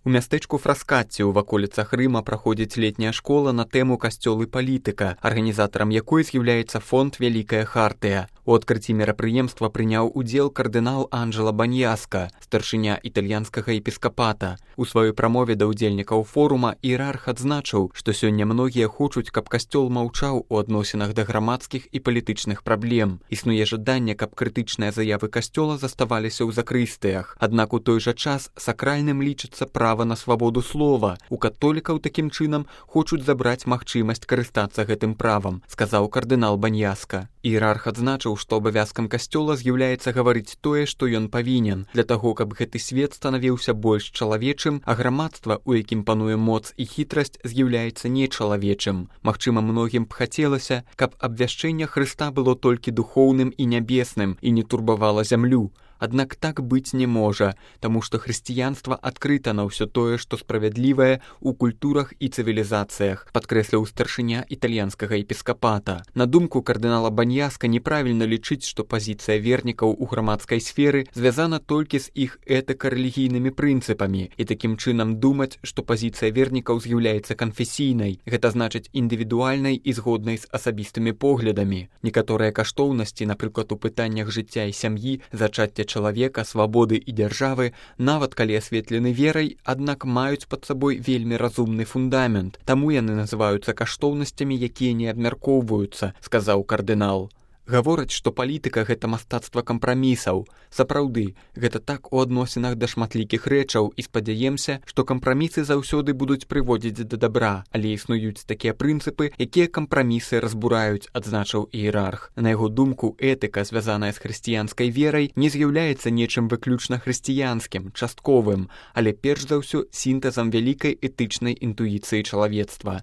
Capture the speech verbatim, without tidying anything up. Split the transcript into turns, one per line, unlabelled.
У мястэчку Фраскатці ў ваколіцах Рыма праходзіць летняя школа на тэму «Касцёл і палітыка», арганізатарам якой з'яўляецца фонд «Вялікая хартыя». У адкрыцці мерапрыемства прыняў удзел кардынал Анджела Баньяска, старшыня італьянскага епіскапата. У сваёй прамове да ўдзельнікаў форума іерарх адзначыў, што сёння многія хочуць, каб касцёл маўчаў у адносінах да грамадскіх і палітычных праблем. Існуе жаданне, каб крытычныя заявы касцёла заставаліся ў закрыстыях. Аднак у той жа час сакральным лічыцца права на свабоду слова. У католікаў такім чынам хочуць забраць магчымасць карыстацца гэтым правам, сказаў кардынал Баньяска. Іерарх адзначыў, што абавязкам касцёла з'яўляецца гаварыць тое, што ён павінен, для таго, каб гэты свет станавіўся больш чалавечым, а грамадства, у якім пануе моц і хітрасць, з'яўляецца нечалавечым. Магчыма, многім б хацелася, каб абвяшчэнне Хрыста было толькі духоўным і нябесным і не турбавала зямлю. Аднак так быць не можа, таму што хрысціянства адкрыта на ўсё тое, што справядлівае ў культурах і цывілізацыях, падкрэсліў старшыня італьянскага епіскапата. На думку кардынала Баньяска, неправільна лічыць, што пазіцыя вернікаў у грамадскай сферы звязана толькі з іх этыка-рэлігійнымі прынцыпамі, і такім чынам думаць, што пазіцыя вернікаў з'яўляецца канфесійнай, гэта значыць індывідуальнай і згоднай з асабістымі поглядамі. Некаторыя каштоўнасці, напрыклад, у пытаннях жыцця і сям'і, зачацця чалавека, свабоды і дзяржавы, нават калі асветлены верай, аднак маюць пад сабой вельмі разумны фундамент. Таму яны называюцца каштоўнасцямі, якія не абмяркоўваюцца, сказаў кардынал. Гавораць, што палітыка — гэта мастацтва кампрамісаў. Сапраўды, гэта так у адносінах да шматлікіх рэчаў, і спадзяемся, што кампрамісы заўсёды будуць прыводзіць да дабра, але існуюць такія прынцыпы, якія кампрамісы разбураюць, адзначыў іерарх. На яго думку, этыка, звязаная з хрысціянскай верай, не з'яўляецца нечым выключна хрысціянскім, частковым, але перш за ўсё сінтэзам вялікай этычнай інтуіцыі чалавецтва.